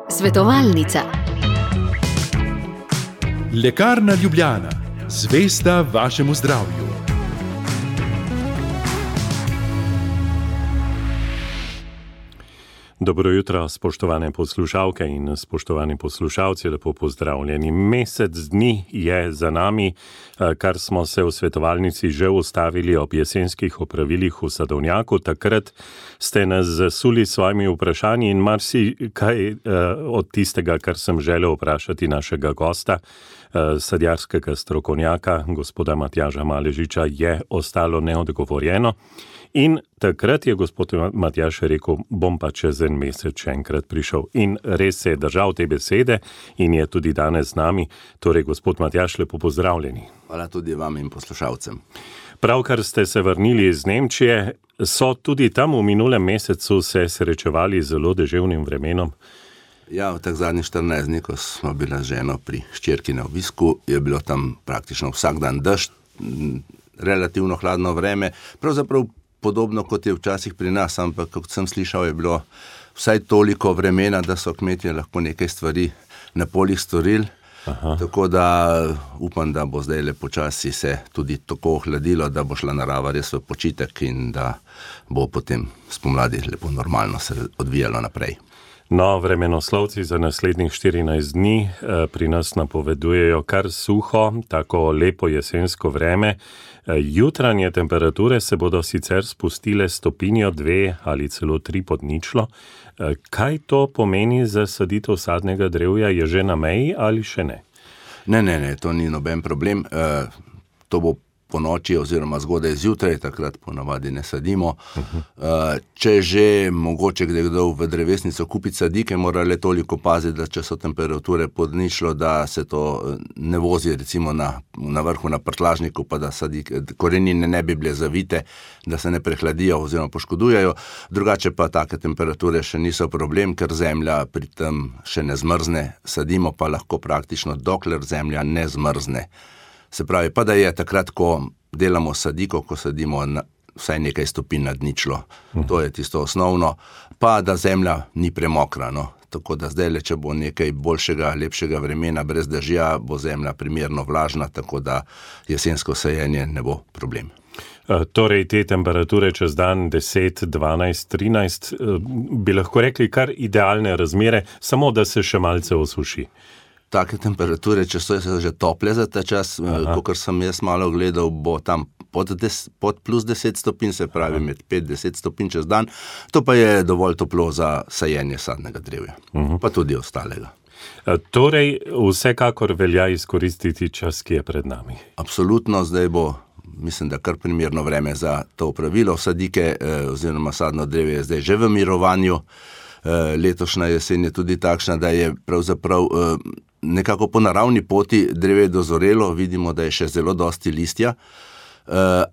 Svetovalnica. Lekarna Ljubljana, zvesta vašemu zdravju. Dobro jutro, spoštovane poslušalke in spoštovani poslušalci, lepo pozdravljeni. Mesec dni je za nami, kar smo se v svetovalnici že ustavili ob jesenskih opravilih v Sadovnjaku. Takrat ste nas zasuli s svojimi vprašanji in marsikaj od tistega, kar sem želel vprašati našega gosta, sadjarskega strokovnjaka, gospoda Matjaža Maležiča, je ostalo neodgovorjeno. In takrat je gospod Matjaž rekel, bom pa čez en mesec še enkrat prišel. In res se je držal te besede in je tudi danes z nami. Torej, gospod Matjaž, lepo pozdravljeni. Hvala tudi vam in poslušalcem. Pravkar ste se vrnili iz Nemčije, so tudi tam v minulem mesecu se srečevali z zelo deževnim vremenom? Ja, v teh zadnjih 14 dni, ko smo bili z ženo pri hčerki na obisku, je bilo tam praktično vsak dan dežj, relativno hladno vreme, pravzaprav podobno kot je včasih pri nas, ampak kot sem slišal, je bilo vsaj toliko vremena, da so kmetje lahko nekaj stvari na poljih storili. Aha. Tako da upam, da bo zdaj počasi se tudi tako ohladilo, da bo šla narava res v počitek in da bo potem spomladi lepo normalno se odvijalo naprej. No, vremenoslovci za naslednjih 14 dni pri nas napovedujejo kar suho, tako lepo jesensko vreme. Jutranje temperature se bodo sicer spustile stopinjo 2 ali celo 3 pod ničlo. Kaj to pomeni za saditev sadnega drevja? Je že na meji ali še ne? Ne, to ni noben problem. To bo po noči oziroma zgodaj zjutraj, takrat ponavadi ne sadimo. Če že mogoče kdo v drevesnico kupiti sadike, mora le toliko paziti, da če so temperature pod ničlo, da se to ne vozi recimo na vrhu na prtlažniku, pa da korenine ne bi bile zavite, da se ne prehladijo oziroma poškodujejo. Drugače pa take temperature še niso problem, ker zemlja pri tem še ne zmrzne. Sadimo pa lahko praktično, dokler zemlja ne zmrzne. Se pravi, pa da je takrat, ko delamo sadiko, ko sadimo vsaj nekaj stopinj nad ničlo. To je tisto osnovno. Pa da zemlja ni premokra. No. Tako da zdaj, če bo nekaj boljšega, lepšega vremena brez dežja, bo zemlja primerno vlažna, tako da jesensko sajenje ne bo problem. Torej, te temperature čez dan 10, 12, 13, bi lahko rekli kar idealne razmere, samo da se še malce osuši. Take temperature, če so že tople za ta čas, kakor sem jaz malo gledal, bo tam pod plus 10 stopinj, se pravi med 5-10 stopinj čez dan. To pa je dovolj toplo za sajenje sadnega drevja, pa tudi ostalega. Torej, vsekakor velja izkoristiti čas, ki je pred nami. Absolutno, zdaj bo, mislim, da kar primerno vreme za to opravilo. Sadike oziroma sadno drevje je zdaj že v mirovanju. Letošnja jesen je tudi takšna, da je pravzaprav nekako po naravni poti drevje dozorelo, vidimo, da je še zelo dosti listja,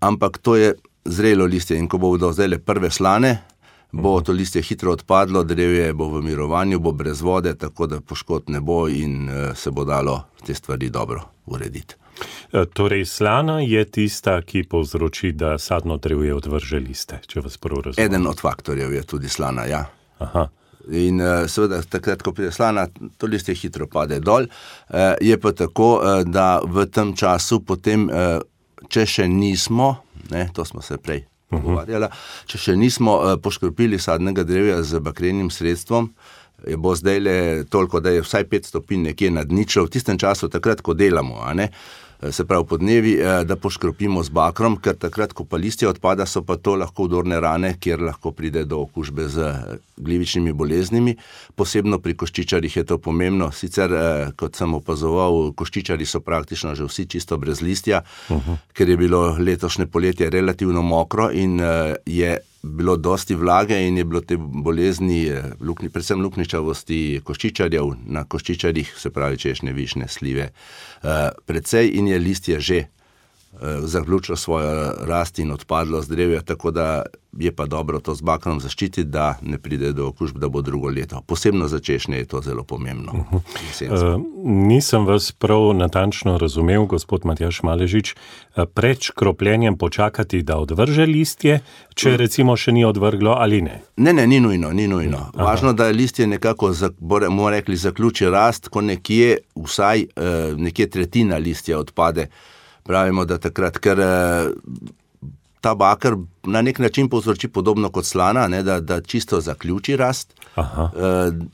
ampak to je zrelo listje in ko bodo zdaj prve slane, bo to listje hitro odpadlo, drevje bo v mirovanju, bo brez vode, tako da poškodb ne bo in se bo dalo te stvari dobro urediti. Torej, slana je tista, ki povzroči, da sadno drevje odvrže liste, če vas prav razumem. Eden od faktorjev je tudi slana, ja. Aha. In seveda takrat, ko pride slana, to listje hitro pade dol. Je pa tako, da v tem času potem, če še nismo, to smo se prej pogovarjali, če še nismo poškropili sadnega drevja z bakrenim sredstvom, bo zdaj le toliko, da je vsaj 5 stopinj nekje nad ničlo, v tistem času takrat, ko delamo, se pravi podnevi, da poškropimo z bakrom, ker takrat, ko pa listje odpada, so pa to lahko vdorne rane, kjer lahko pride do okužbe z glivičnimi boleznimi. Posebno pri koščičarjih je to pomembno. Sicer, kot sem opazoval, koščičarji so praktično že vsi čisto brez listja, ker je bilo letošnje poletje relativno mokro in je bilo dosti vlage in je bilo te bolezni, predvsem lukničavosti koščičarjev na koščičarjih, se pravi češnje, višnje, slive, precej in je listje že zaključilo svojo rast in odpadlo z drevja, tako da je pa dobro to z bakrom zaščititi, da ne pride do okužb, da bo drugo leto. Posebno za češnje je to zelo pomembno. Nisem vas prav natančno razumel, gospod Matjaž Maležič, pred škropljenjem počakati, da odvrže listje, če recimo še ni odvrglo ali ne? Ne, ni nujno. Važno, da listje nekako, bomo rekli, zaključi rast, ko nekje vsaj nekje tretjina listja odpade. Pravimo, da takrat, ker ta bakar na nek način povzroči podobno kot slana, ne, da čisto zaključi rast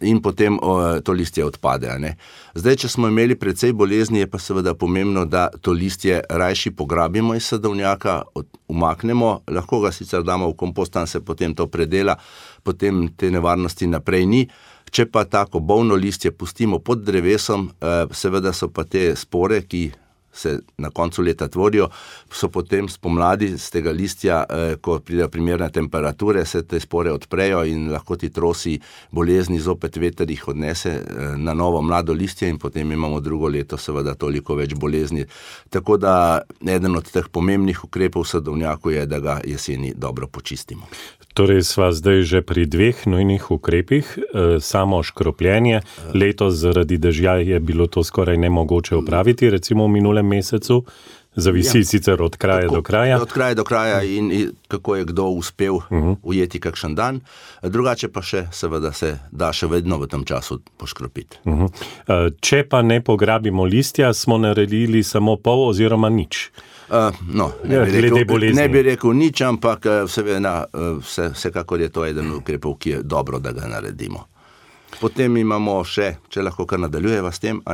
in potem to listje odpade. Ne. Zdaj, če smo imeli precej bolezni, je pa seveda pomembno, da to listje rajši pograbimo iz sadovnjaka, umaknemo, lahko ga sicer damo v kompost, tam se potem to predela, potem te nevarnosti naprej ni. Če pa tako bolno listje pustimo pod drevesom, seveda so pa te spore, ki se na koncu leta tvorijo, so potem spomladi z tega listja, ko pridejo primerne temperature, se te spore odprejo in lahko ti trosi bolezni, zopet veter jih odnese na novo mlado listje in potem imamo drugo leto seveda toliko več bolezni. Tako da eden od teh pomembnih ukrepov v sadovnjaku je, da ga jeseni dobro počistimo. Torej sva zdaj že pri 2 nujnih ukrepih, samo škropljenje. Letos zaradi dežja je bilo to skoraj nemogoče opraviti, recimo v minulem mesecu. Zavisi sicer od kraja do kraja. Od kraja do kraja in kako je kdo uspel ujeti kakšen dan. Drugače pa še, seveda se da še vedno v tem času poškropiti. Če pa ne pograbimo listja, smo naredili samo pol oziroma nič. Ne bi rekel nič, ampak vsekakor je to eden ukrepov, ki je dobro, da ga naredimo. Potem imamo še, če lahko kar nadaljujeva s tem,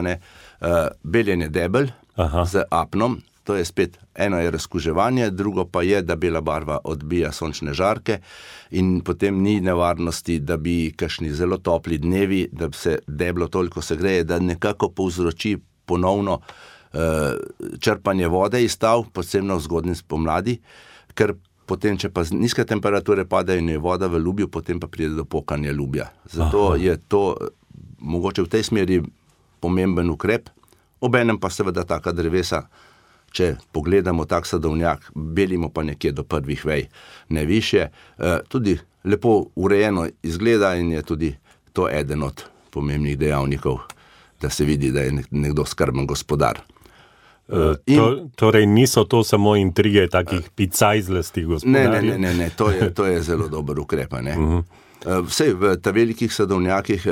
beljenje debel z apnom. To je spet, eno je razkuževanje, drugo pa je, da bela barva odbija sončne žarke in potem ni nevarnosti, da bi kakšni zelo topli dnevi, da se deblo toliko segreje, da nekako povzroči ponovno črpanje vode iz tal, posebno v zgodnji spomladi, ker potem, če pa nizke temperature padajo in je voda v lubju, potem pa pride do pokanja lubja. Zato je to mogoče v tej smeri pomemben ukrep, obenem pa seveda taka drevesa, če pogledamo tak sadovnjak, belimo pa nekje do prvih vej, ne više, tudi lepo urejeno izgleda in je tudi to eden od pomembnih dejavnikov, da se vidi, da je nekdo skrben gospodar. Torej niso to samo intrige takih picajzlasti gospodarjev? Ne, to je zelo dober ukrep. Vsej v ta velikih sadovnjakih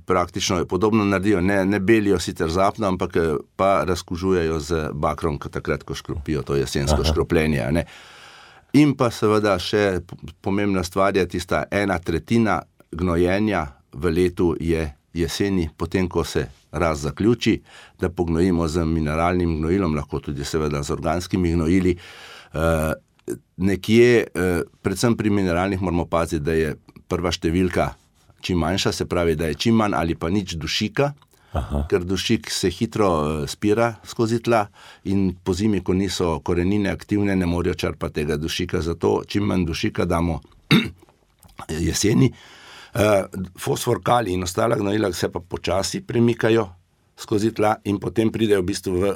praktično podobno naredijo, ne belijo sicer zapno, ampak pa razkužujejo z bakrom, takrat, ko škropijo to jesensko škropljenje. In pa seveda še pomembna stvar je tista 1/3 gnojenja v letu je jeseni, potem ko se raz zaključi, da pognojimo z mineralnim gnojilom, lahko tudi seveda z organskimi gnojili. Nekje, predvsem pri mineralnih moramo paziti, da je prva številka čim manjša, se pravi, da je čim manj ali pa nič dušika, ker dušik se hitro spira skozi tla in po zimi, ko niso korenine aktivne, ne morejo črpati tega dušika, zato čim manj dušika damo jeseni. Fosfor, kalij in ostala gnojila se pa počasi premikajo skozi tla in potem pridejo v bistvu v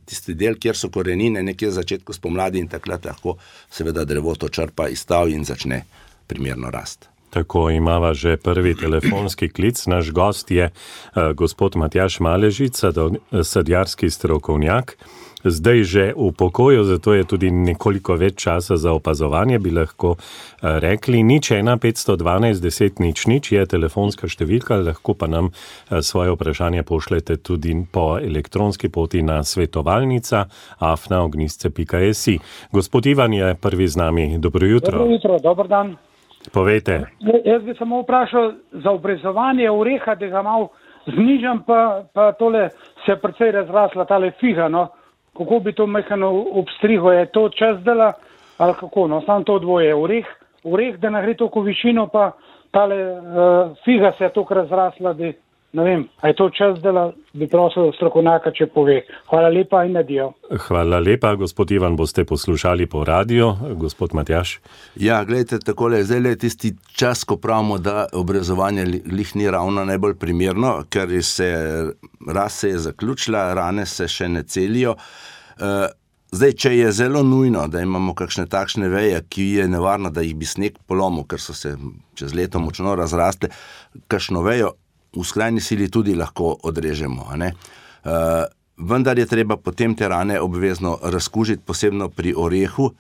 tisti del, kjer so korenine, nekje v začetku spomladi in takrat lahko seveda drevo to črpa iz tal in začne primerno rast. Tako imava že prvi telefonski klic. Naš gost je gospod Matjaž Maležič, sadjarski strokovnjak. Zdaj že v pokoju, zato je tudi nekoliko več časa za opazovanje, bi lahko rekli. 01 512 10 00 je telefonska številka, lahko pa nam svoje vprašanje pošljete tudi po elektronski poti na svetovalnica@ognjisce.si. Gospod Ivan je prvi z nami. Dobro jutro. Dobro jutro, dober dan. Povejte. Jaz bi samo vprašal za obrezovanje oreha, da ga malo znižam, pa tole se precej razrasla, tale figa, no. Kako bi to mehano obstrigo, je to čas dela, ali kako, no, samo to dvoje, oreh, da ne gre toliko višino, pa tale figa se je toliko razrasla, da ne vem, a je to čas dela, bi prosil strokovnjaka, če pove. Hvala lepa in adijo. Hvala lepa, gospod Ivan, boste poslušali po radiju, gospod Matjaž. Ja, gledajte, takole, zdaj je tisti čas, ko pravimo, da obrezovanje lih ni ravno najbolj primerno, ker rast se je zaključila, rane se še ne celijo. Zdaj, če je zelo nujno, da imamo kakšne takšne veje, ki je nevarno, da jih bi sneg polomil, ker so se čez leto močno razrastle, kakšno vejo v skrajni sili tudi lahko odrežemo. Vendar je treba potem te rane obvezno razkužiti, posebno pri orehu.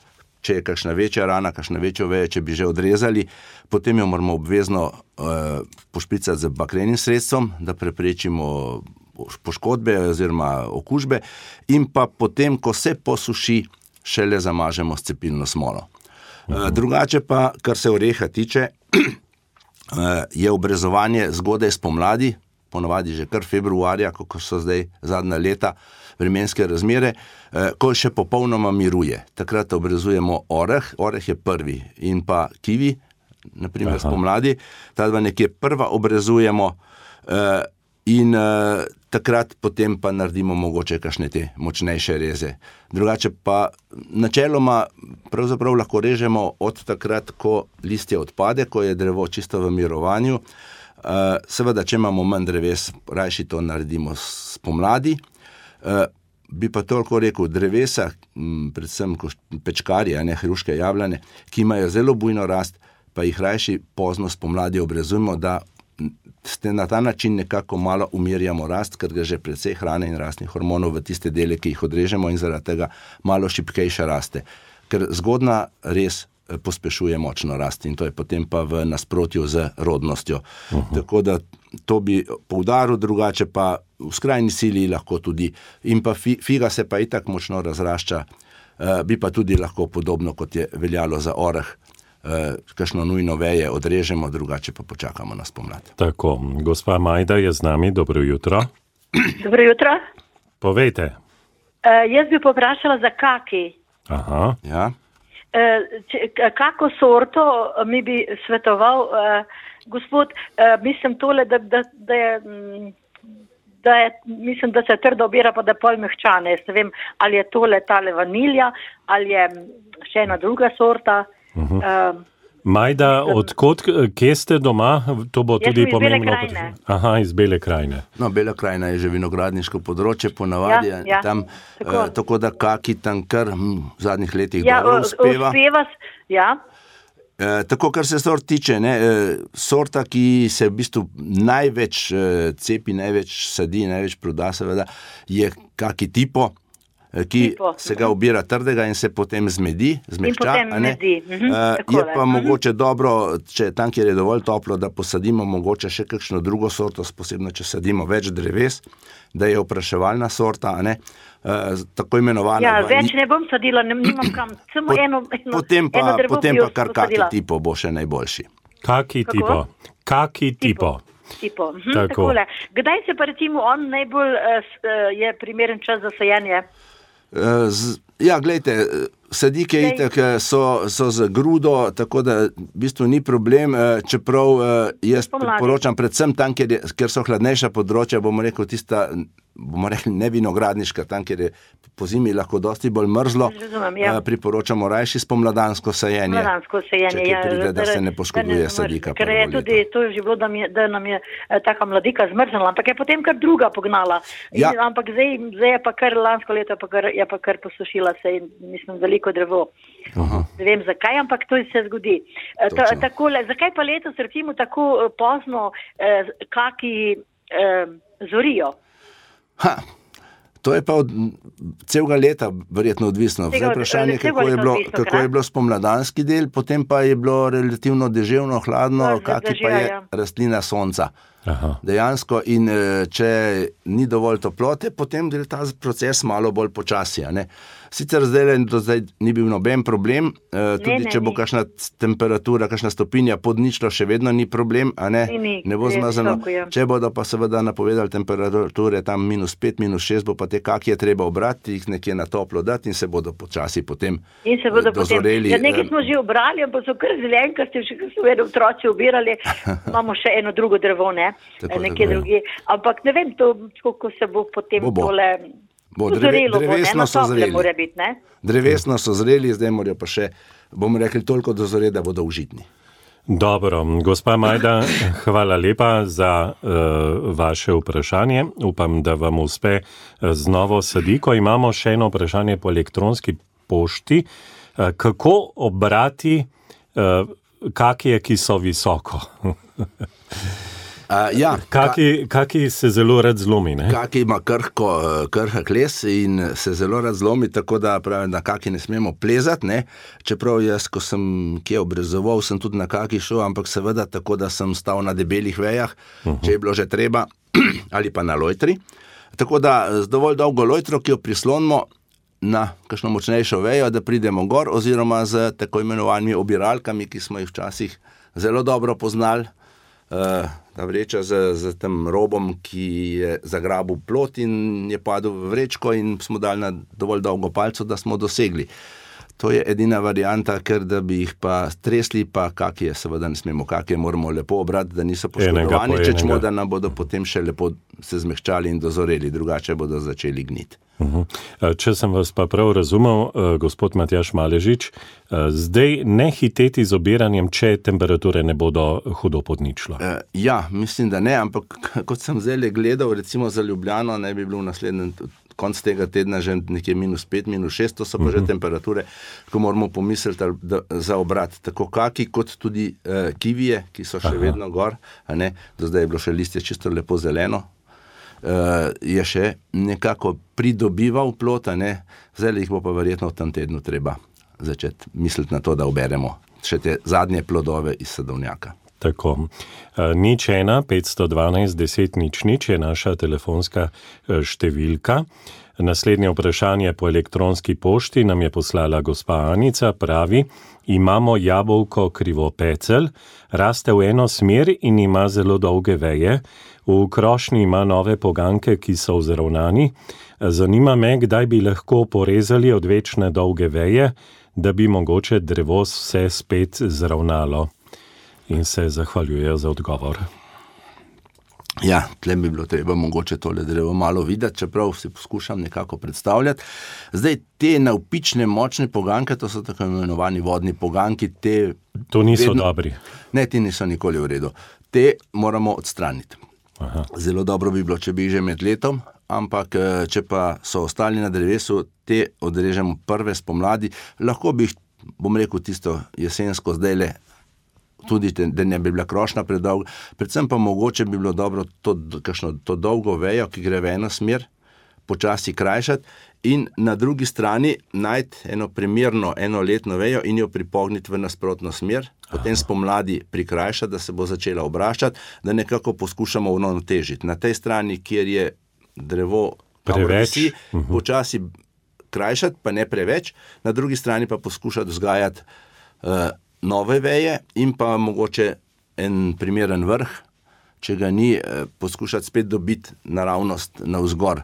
Če je kakšna večja rana, kakšna večja veja, če bi že odrezali, potem jo moramo obvezno pošpricati z bakrenim sredstvom, da preprečimo poškodbe oziroma okužbe, in pa potem, ko se posuši, šele zamažemo s cepilno smolo. Drugače pa, kar se oreha tiče, je obrezovanje zgodaj spomladi, ponavadi že kar februarja, ko so zdaj zadnja leta vremenske razmere, ko še popolnoma miruje. Takrat obrezujemo oreh je prvi, in pa kivi, naprimer spomladi, ta dva nekje prva obrezujemo, in takrat potem pa naredimo mogoče kakšne te močnejše reze. Drugače pa načeloma pravzaprav lahko režemo od takrat, ko listje odpade, ko je drevo čisto v mirovanju. Seveda, če imamo manj dreves, rajši to naredimo spomladi. Bi pa toliko rekel, drevesa, predvsem pečkarje, hruške, jablane, ki imajo zelo bujno rast, pa jih rajši pozno spomladi obrezujemo, da na ta način nekako malo umirjamo rast, ker gre že precej hrane in rastnih hormonov v tiste dele, ki jih odrežemo, in zaradi tega malo šibkejša raste. Ker zgodna res pospešuje močno rast in to je potem pa v nasprotju z rodnostjo. Tako da to bi poudaril, drugače pa v skrajni sili lahko tudi, in pa figa se pa itak močno razrašča, bi pa tudi lahko podobno, kot je veljalo za oreh, kakšno nujno veje odrežemo, drugače pa počakamo na spomlad. Tako, gospa Majda je z nami, dobro jutro. Dobro jutro. Povejte. Jaz bi poprašala za kaki. Aha. Ja. Kako sorto mi bi svetoval, gospod, mislim tole, mislim, da se trdo obira, pa da pol mehčane. Jaz ne vem, ali je tale vanilja, ali je še ena druga sorta. Majda, kje ste doma? To bo tudi pomembno. Jaz sem iz Bele krajine. Aha, iz Bele krajine. No, Bela krajina je že vinogradniško področje, ponavadi tam, tako da kaki tam kar v zadnjih letih dobro uspeva. Tako, kar se sort tiče, sorta, ki se v bistvu največ cepi, največ sadi, največ proda, seveda, je kaki tipo, ki se ga obira trdega in se potem zmehča. Je pa mogoče dobro, če tam, kjer je dovolj toplo, da posadimo mogoče še kakšno drugo sorto, posebno, če sadimo več dreves, da je opraševalna sorta, tako imenovana. Ja, več ne bom sadila, nimam kam, samo eno drevo potem pa kar kaki tipo bo še najboljši. Kaki tipo. Takole. Kdaj se pa recimo on najbolj je primeren čas za sajenje? Ja, glejte, sadike itak so z grudo, tako da v bistvu ni problem, čeprav jaz priporočam predvsem tam, kjer so hladnejša področja, bomo rekli ne vinogradniška, tam, kjer je po zimi lahko dosti bolj mrzlo, priporočamo rajši spomladansko sajenje. Če pride, da se ne poškoduje sadika. Ker je tudi to že bilo, da nam je taka mladika zmrznila, ampak je potem kar druga pognala. Ampak zdaj je pa kar lansko leto je pa kar posušila se in mislim veliko drevo. Ne vem zakaj, ampak to se zgodi. Takole, zakaj pa letos recimo tako pozno kaki zorijo? To je pa od celega leta verjetno odvisno. Vprašanje, kako je bilo spomladanski del, potem pa je bilo relativno deževno, hladno, kaki pa je rastlina sonca. Dejansko, in če ni dovolj toplote, potem gre ta proces malo bolj počasi. Sicer zdaj ni bil noben problem, tudi če bo kakšna temperatura, kakšna stopinja pod ničlo, še vedno ni problem, ne bo zmazano. Če bodo pa seveda napovedali temperature tam -5, -6, bo pa te kakije treba obrati, jih nekje na toplo dati in se bodo počasi potem dozoreli. Ja, nekaj smo že obrali, ampak so kar zelenkasti, še kar so otroci obirali, imamo še eno drugo drevo, nekje drugi. Ampak ne vem, kako se bo potem tole... Drevesno so zreli. Drevesno so zreli, zdaj morajo pa še, bomo rekli, toliko dozore, da bodo užitni. Dobro, gospa Majda, hvala lepa za vaše vprašanje. Upam, da vam uspe z novo sadiko. Imamo še eno vprašanje po elektronski pošti. Kako obrati kakije, ki so visoko? Kaki se zelo rad zlomi, ne? Kaki ima krhak les in se zelo rad zlomi, tako da pravim, da kaki ne smemo plezati, ne? Čeprav jaz, ko sem kje obrezoval, sem tudi na kaki šel, ampak seveda tako, da sem stal na debelih vejah, če je bilo že treba, ali pa na lojtri. Tako da z dovolj dolgo lojtro, ki jo prislonimo na kakšno močnejšo vejo, da pridemo gor, oziroma z tako imenovanimi obiralkami, ki smo jih včasih zelo dobro poznali, ta vreča z tem robom, ki je zagrabil plot in je padel v vrečko in smo dali na dovolj dolgo palco, da smo dosegli. To je edina varianta, ker da bi jih pa tresli, pa kakije seveda ne smemo, kakije moramo lepo obrati, da niso poškodovani, čemo, da nam bodo potem še lepo se zmehčali in dozoreli, drugače bodo začeli gniti. Če sem vas pa prav razumel, gospod Matjaž Maležič, zdaj ne hiteti z obiranjem, če temperature ne bodo hudo pod ničlo. Ja, mislim, da ne, ampak kot sem zdaj gledal, recimo za Ljubljano, ne bi bilo v naslednjem konc tega tedna že nekje -5, -6, to so pa že temperature, ko moramo pomisliti za obrat. Tako kaki, kot tudi kivije, ki so še vedno gor, a ne, do zdaj je bilo še listje čisto lepo zeleno, je še nekako pridobival plot, a ne, zdaj jih bo pa verjetno v tem tednu treba začeti misliti na to, da oberemo še te zadnje plodove iz sadovnjaka. Tako. 01 512 10 00 je naša telefonska številka. Naslednje vprašanje po elektronski pošti nam je poslala gospa Anica, pravi: imamo jabolko krivopecel, raste v eno smer in ima zelo dolge veje. V krošnji ima nove poganke, ki so vzravnani. Zanima me, kdaj bi lahko porezali odvečne dolge veje, da bi mogoče drevo vse spet zravnalo. In se zahvaljujejo za odgovor. Ja, tle bi bilo treba mogoče tole drevo malo videti, čeprav si poskušam nekako predstavljati. Zdaj, te navpične, močne poganke, to so tako imenovani vodni poganki, to niso dobri. Ne, ti niso nikoli v redu. Te moramo odstraniti. Aha. Zelo dobro bi bilo, če bi že med letom, ampak če pa so ostali na drevesu, te odrežemo prve spomladi. Lahko bi jih, bom rekel, tisto jesensko zdajle, tudi da ne bi bila krošnja predolga, predvsem pa mogoče bi bilo dobro to dolgo vejo, ki gre v eno smer, počasi krajšati in na drugi strani najti eno primerno enoletno vejo in jo pripogniti v nasprotno smer, potem spomladi prikrajšati, da se bo začela obraščati, da nekako poskušamo uravnotežiti. Na tej strani, kjer je drevo preveč, počasi krajšati, pa ne preveč, na drugi strani pa poskušati vzgajati nove veje in pa mogoče en primeren vrh, če ga ni, poskušati spet dobiti naravnost navzgor.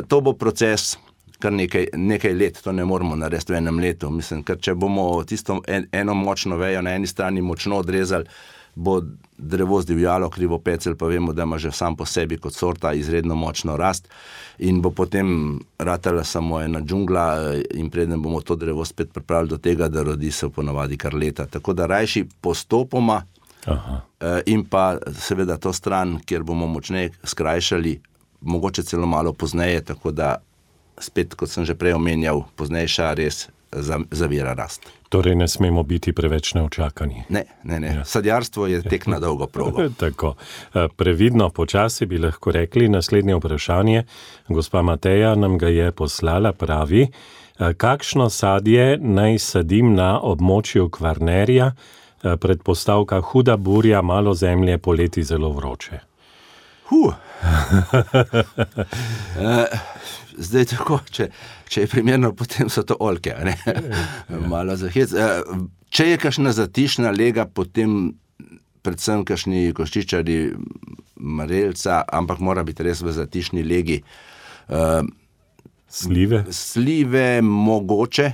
To bo proces kar nekaj let, to ne moramo narediti v enem letu. Mislim, ker če bomo tisto eno močno vejo na eni strani močno odrezali, bo drevo zdivjalo, krivopecel pa vemo, da ima že sam po sebi kot sorta izredno močno rast in bo potem ratala samo ena džungla in preden bomo to drevo spet pripravili do tega, da rodi se ponavadi kar leta. Tako da rajši postopoma. Aha. In pa seveda to stran, kjer bomo močneje skrajšali, mogoče celo malo pozneje, tako da spet, kot sem že prej omenjal, poznejša res zavira rast. Torej ne smemo biti preveč neočakani. Ne. Ja. Sadjarstvo je tek na dolgo progo. Tako. Previdno, počasi bi lahko rekli. Naslednje vprašanje, gospa Mateja nam ga je poslala, pravi: kakšno sadje naj sadim na območju Kvarnerja, predpostavka huda burja, malo zemlje, poleti zelo vroče? Zdaj tako, če je primerno, potem so to oljke, ne? Malo za hec. Če je kakšna zatišna lega, potem predvsem kakšni koščičari marelca, ampak mora biti res v zatišni legi. Slive? Slive mogoče,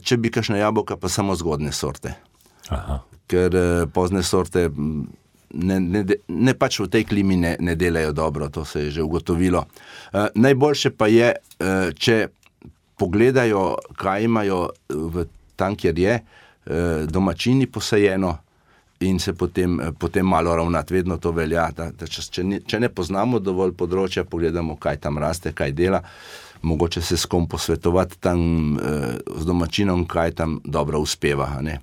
če bi kakšna jabolka, pa samo zgodne sorte. Aha. Ker pozne sorte ne pač v tej klimi ne delajo dobro, to se je že ugotovilo. Najboljše pa je, če pogledajo, kaj imajo tam, kjer je domačini posajeno, in se potem malo ravnati. Vedno to velja, da če ne poznamo dovolj področja, pogledamo, kaj tam raste, kaj dela, mogoče se s kom posvetovati tam z domačinom, kaj tam dobro uspeva. Ne?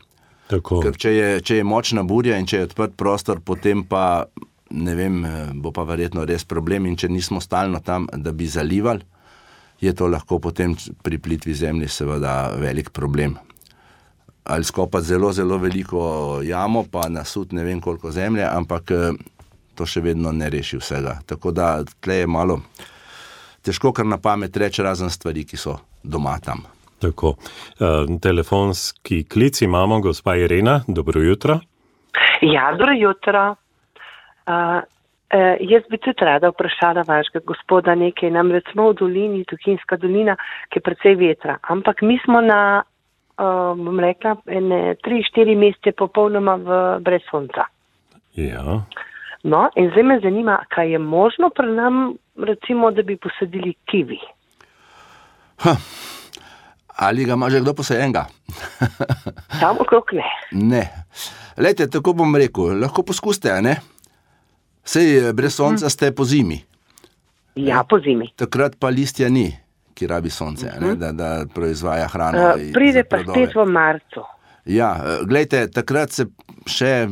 Tako. Ker če je močna burja in če je odprt prostor, potem pa, ne vem, bo pa verjetno res problem in če nismo stalno tam, da bi zalivali, je to lahko potem pri plitvi zemlji seveda velik problem. Ali skopati zelo, zelo veliko jamo, pa nasut ne vem koliko zemlje, ampak to še vedno ne reši vsega. Tako da tle je malo težko kar na pamet reči razen stvari, ki so doma tam. Tako. Telefonski klic imamo, gospa Irena, dobro jutro. Ja, dobro jutro. Jaz bi tudi rada vprašala vašega gospoda nekaj, namreč smo v dolini, Tuhinjska dolina, ki je precej vetra, ampak mi smo na bom rekla, 3-4 mesece popolnoma brez sonca. Ja. No, in zdaj me zanima, kaj je možno pri nam, recimo, da bi posadili kivi? Ali ga ima že kdo posajenega? Tam okrog ne. Ne. Lejte, tako bom rekel, lahko poskusite, ne? Sej brez sonca ste po zimi. Ja, po zimi. Takrat pa listja ni, ki rabi sonce, da proizvaja hrano. Pride pa spet v marcu. Ja, glejte, takrat se še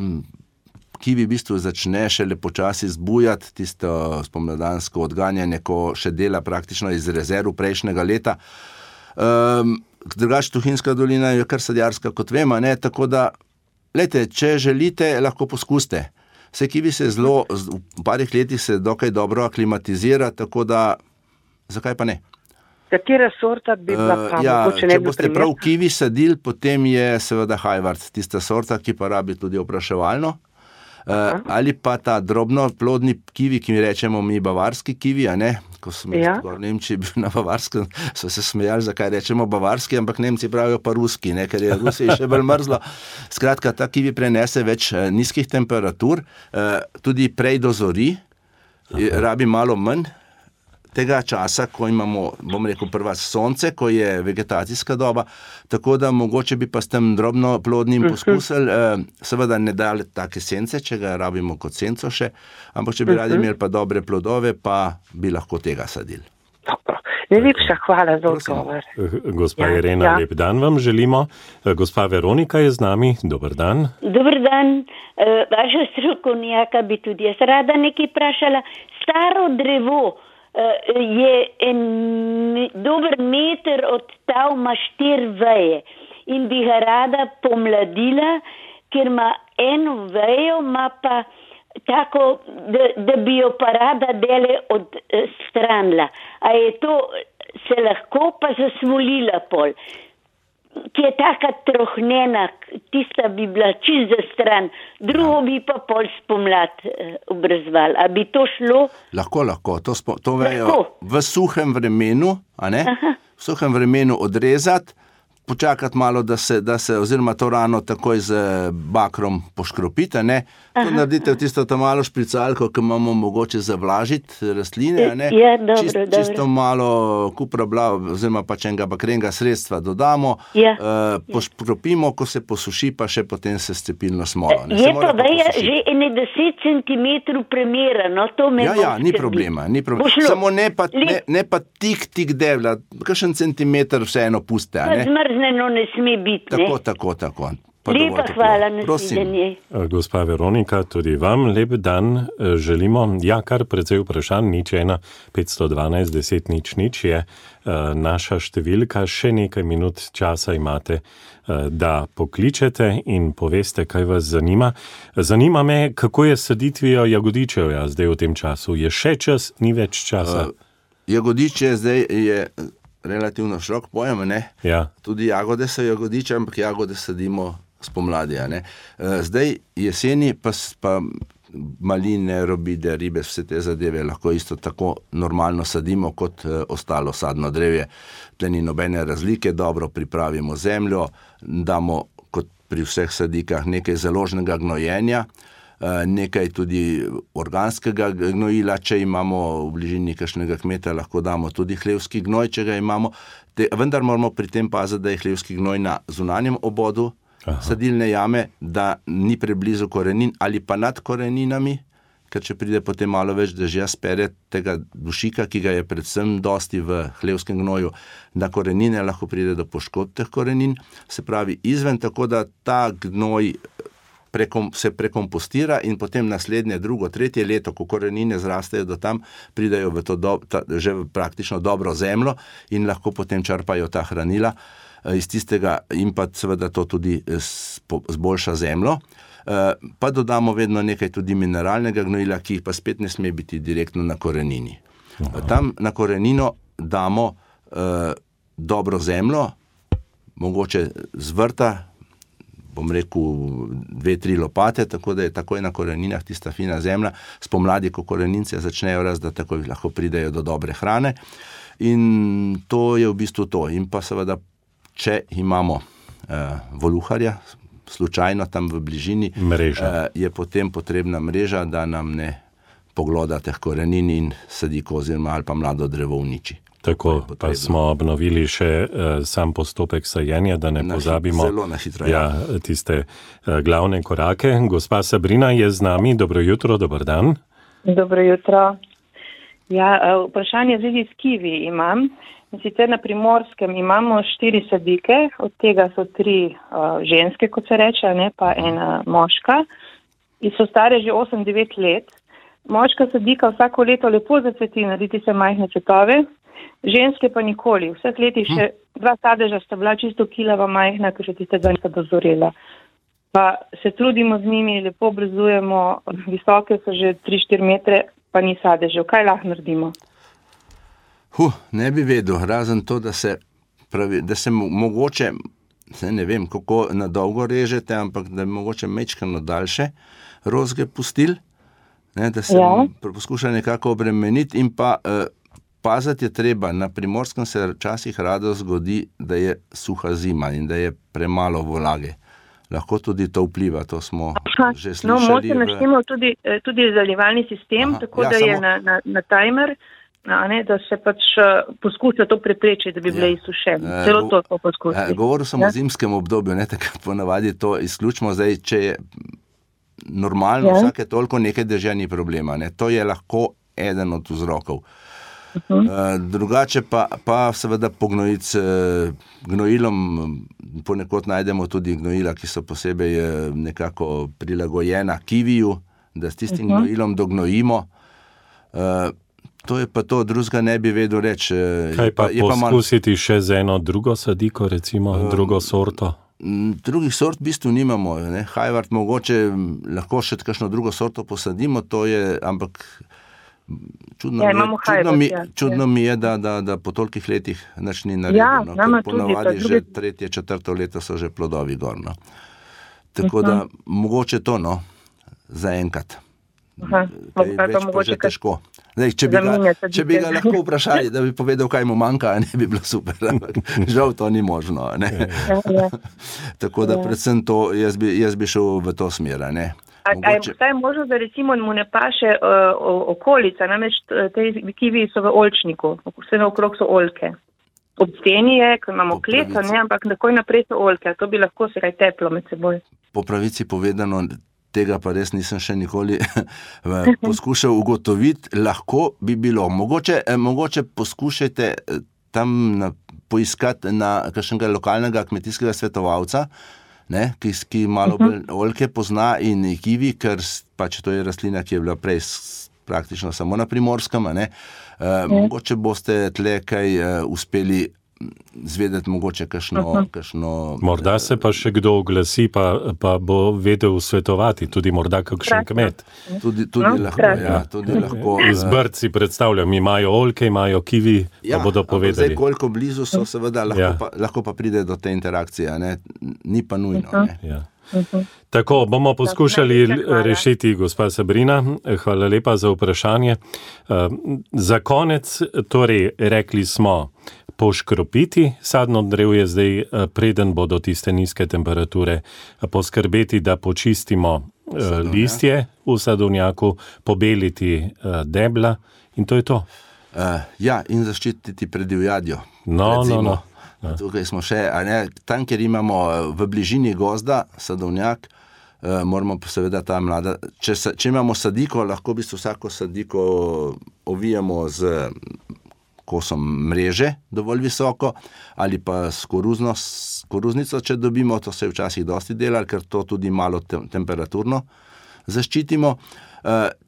kivi v bistvu začne šele počasi zbujati, tisto spomladansko odganjanje, ko še dela praktično iz rezerv prejšnjega leta. Drugače Tuhinjska dolina je kar sadjarska, kot vemo, ne, tako da, glejte, če želite, lahko poskusite. Vse kivi se v parih letih se dokaj dobro aklimatizira, tako da, zakaj pa ne? Katera sorta bi bila pa mogoče ne bi primer? Če boste prav kivi sadili, potem je seveda Hajvard, tista sorta, ki pa rabi tudi opraševalno. Ali pa ta drobno plodni kivi, ki mi rečemo mi bavarski kivi, a ne? Ko sem v Nemčiji bil na Bavarskem, so se smejali, zakaj rečemo bavarski, ampak Nemci pravijo pa ruski, ne? Ker je Rusiji še bolj mrzlo. Skratka, ta kivi prenese več nizkih temperatur, tudi prej dozori, rabi malo manj tega časa, ko imamo, bom rekel, prva sonce, ko je vegetacijska doba, tako da mogoče bi pa s tem drobno plodnim poskusili, seveda ne dali take sence, če ga rabimo kot senco še, ampak če bi radi imeli pa dobre plodove, pa bi lahko tega sadili. Dobro. Najlepša hvala za odgovor. Gospa Irena, lep dan vam želimo. Gospa Veronika je z nami. Dober dan. Dober dan. Vaša strokovnjaka bi tudi jaz rada nekaj vprašala. Staro drevo je dober meter od tal ima 4 veje in bi ga rada pomladila, ker ima eno vejo, ima pa tako, da bi jo pa rada dele odstranila. A je to se lahko pa zasvolila pol, ki je taka trohnena, tista bi bila čist za stran, drugo bi pa pol spomlad obrezval. A bi to šlo? Lahko. To vejo v suhem vremenu, a ne? V suhem vremenu odrezati, počakati malo, da se oziroma to rano takoj z bakrom poškropite, ne? To naredite v tisto to malo špricalko, ki imamo mogoče zavlažiti rastline, ne? Ja, dobro. Čisto malo kupra oziroma pač enega bakrenega sredstva dodamo, poškropimo, ko se posuši, pa še potem se s cepilno smolo. Je pa veja že 10 centimetrov premera, no to me Ja, ni problema. Samo ne pa tik debla, kakšen centimeter vseeno puste, ne? Zmrzneno ne sme biti, ne? Tako. Lepa hvala, nasvidenje. Gospa Veronika, tudi vam lep dan želimo. Ja, kar precej vprašanj, 512 10 0 je naša številka. Še nekaj minut časa imate, da pokličete in poveste, kaj vas zanima. Zanima me, kako je s saditvijo jagodičevja zdaj v tem času. Je še čas, ni več časa? Jagodiče zdaj je relativno širok pojem, ne? Ja. Tudi jagode so jagodiče, ampak jagode sadimo spomladi, ne? Zdaj jeseni pa maline, robide, ribe, vse te zadeve lahko isto tako normalno sadimo kot ostalo sadno drevje. Tle ni nobene razlike, dobro pripravimo zemljo, damo kot pri vseh sadikah nekaj založnega gnojenja, nekaj tudi organskega gnojila, če imamo v bližini kakšnega kmeta, lahko damo tudi hlevski gnoj, če ga imamo. Vendar moramo pri tem paziti, da je hlevski gnoj na zunanjem obodu, sadilne jame, da ni preblizu korenin ali pa nad koreninami, ker če pride potem malo več dežja, spere tega dušika, ki ga je predvsem dosti v hlevskem gnoju, na korenine lahko pride do poškodb teh korenin, se pravi izven, tako da ta gnoj se prekompostira in potem naslednje, drugo, tretje leto, ko korenine zrastejo do tam, pridajo v to že praktično dobro zemljo in lahko potem črpajo ta hranila iz tistega in pa seveda to tudi zboljša zemljo. Pa dodamo vedno nekaj tudi mineralnega gnojila, ki jih pa spet ne sme biti direktno na korenini. Tam na korenino damo dobro zemljo, mogoče z vrta, bom rekel 2-3 lopate, tako da je takoj na koreninah tista fina zemlja. Spomladi, ko korenince začnejo rast, da takoj lahko pridejo do dobre hrane. In to je v bistvu to. In pa seveda, če imamo voluharja, slučajno tam v bližini, je potem potrebna mreža, da nam ne pogloda teh korenin in sadiko oziroma ali pa mlado drevo uniči. Tako, pa smo obnovili še sam postopek sajenja, da ne pozabimo tiste glavne korake. Gospa Sabrina je z nami. Dobro jutro, dober dan. Dobro jutro. Ja, vprašanje zvezi s kivi imam. Sicer na Primorskem imamo 4 sadike, od tega so 3 ženske, kot se reče, ne, pa ena moška. In so stare že 8-9 let. Moška sadika vsako leto lepo zacveti, narediti se majhne cvetove. Ženske pa nikoli. Vseh letih še 2 sadeža sta bila čisto kilava majhna, ker še tiste dva nista dozorela. Pa se trudimo z njimi, lepo obrezujemo, visoke so že 3-4 metre, pa ni sadežev. Kaj lahko naredimo? Ne bi vedel, razen to, da se mogoče, ne vem, kako na dolgo režete, ampak da bi mogoče mečkano daljše rozge pustil, da se poskuša nekako obremeniti in pa paziti je treba. Na Primorskem se včasih rado zgodi, da je suha zima in da je premalo vlage. Lahko tudi to vpliva, to smo že slišali. No, moče naštemo tudi zalivalni sistem, tako da je na timer, da se pač poskuša to preprečiti, da bi bile izsušene. Celo to poskušati. Govoril sem o zimskem obdobju, takrat ponavadi to izključimo. Zdaj, če je normalno, vsake toliko nekaj dežja ni problema. To je lahko eden od vzrokov. Drugače pa seveda pognojiti s gnojilom, ponekod najdemo tudi gnojila, ki so posebej nekako prilagojena kiviju, da s tistim gnojilom dognojimo. To je pa to, drugega ne bi vedel reči. Kaj pa poskusiti še z eno drugo sadiko, recimo drugo sorto? Drugih sort v bistvu nimamo. Hajvart mogoče lahko še kakšno drugo sorto posadimo, to je, ampak čudno mi je, da po tolikih letih nič ni naredilo. Ponovadi že 3., 4. leto so že plodovi gor. Tako da mogoče to, zaenkrat. Več pa že težko. Zdaj, če bi ga lahko vprašali, da bi povedal, kaj mu manjka, ne bi bilo super, ampak žal to ni možno. Tako da predvsem to, jaz bi šel v to smer. A je vstaj možno, da recimo mu ne paše okolica, namreč te kivi so v oljčniku, vse naokrog so oljke. Ob steni je, ko imamo klet, ampak takoj naprej so oljke, to bi lahko se kaj teplo med seboj. Po pravici povedano, tega pa res nisem še nikoli poskušal ugotoviti, lahko bi bilo. Mogoče poskušajte tam poiskati na kakšnega lokalnega kmetijskega svetovalca, ki malo oljke pozna in kivi, ker pač to je rastlina, ki je bila prej praktično samo na Primorskem. Mogoče boste tle kaj uspeli zvedeti, mogoče kakšno... Morda se pa še kdo oglasi, pa bo vedel svetovati, tudi morda kakšen kmet. Tudi lahko. Iz Brd si predstavljam, imajo oljke, imajo kivi, pa bodo povedali. Zdaj, koliko blizu so, seveda, lahko pa pride do te interakcije, ni pa nujno. Tako, bomo poskušali rešiti, gospa Sabrina. Hvala lepa za vprašanje. Za konec, torej, rekli smo, poškropiti sadno drevje zdaj, preden bodo tiste nizke temperature, poskrbeti, da počistimo listje v sadovnjaku, pobeliti debla in to je to. In zaščititi pred divjadjo. No. Tukaj smo še, tam, kjer imamo v bližini gozda sadovnjak, moramo pa seveda ta mlada, če imamo sadiko, lahko v bistvu vsako sadiko ovijamo z kosom mreže dovolj visoko ali pa s koruznico, če dobimo, to se je včasih dosti delalo, ker to tudi malo temperaturno zaščitimo.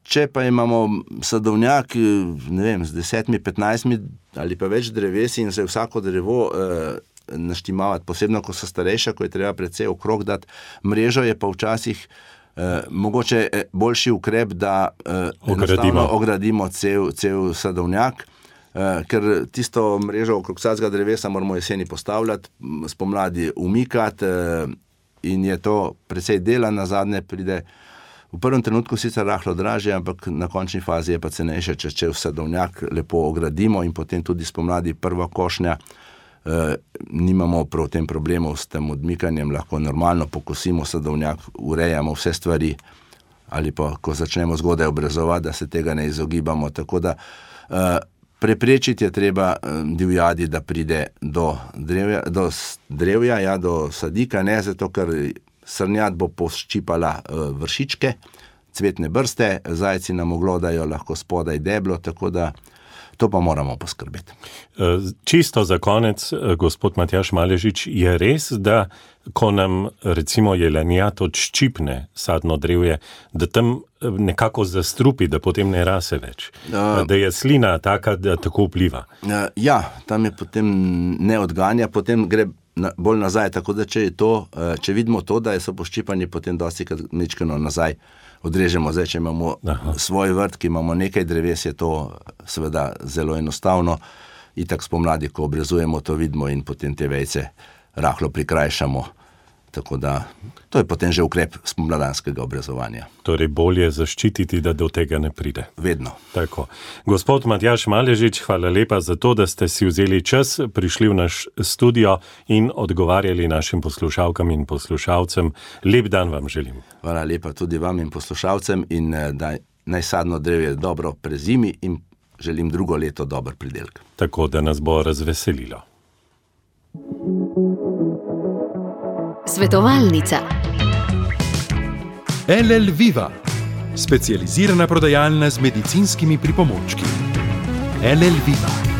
Če pa imamo sadovnjak, ne vem, z 10-15 ali pa več drevesi in se vsako drevo naštimavati, posebno, ko so starejša, ko je treba precej okrog dati mrežo, je pa včasih mogoče boljši ukrep, da ogradimo cel sadovnjak, ker tisto mrežo okrog vsakega drevesa moramo jeseni postavljati, spomladi umikati in je to precej dela, nazadnje pride v prvem trenutku sicer rahlo dražje, ampak na končni fazi je pa cenejše, če sadovnjak lepo ogradimo in potem tudi spomladi prva košnja, nimamo prav tem problemov s tem odmikanjem, lahko normalno pokosimo sadovnjak, urejamo vse stvari ali pa, ko začnemo zgodaj obrezovati, da se tega ne izogibamo, tako da preprečiti je treba divjadi, da pride do drevja, do sadika, ne zato, ker srnjad bo poščipala vršičke, cvetne brste, zajci nam oglodajo lahko spodaj deblo, tako da to pa moramo poskrbeti. Čisto za konec, gospod Matjaž Maležič, je res, da ko nam recimo jelenjad odščipne sadno drevje, da tam nekako zastrupi, da potem ne rase več, da je slina taka, da tako vpliva? Ja, tam je potem ne odganja, potem gre bolj nazaj, tako da če vidimo to, da so poščipani, potem dosti krat mečkano nazaj odrežemo. Zdaj, če imamo svoj vrt, ki imamo nekaj dreves, je to seveda zelo enostavno. Itak spomladi, ko obrezujemo, to vidimo in potem te vejce rahlo prikrajšamo. Tako da, to je potem že ukrep spomladanskega obrezovanja. Torej bolje zaščititi, da do tega ne pride. Vedno. Tako. Gospod Matjaž Maležič, hvala lepa za to, da ste si vzeli čas, prišli v naš studio in odgovarjali našim poslušalkam in poslušalcem. Lep dan vam želim. Hvala lepa tudi vam in poslušalcem in da naj sadno drevje dobro prezimi in želim drugo leto dober pridelek. Tako, da nas bo razveselilo. Svetovalnica. LL Viva, specializirana prodajalna z medicinskimi pripomočki. LL Viva.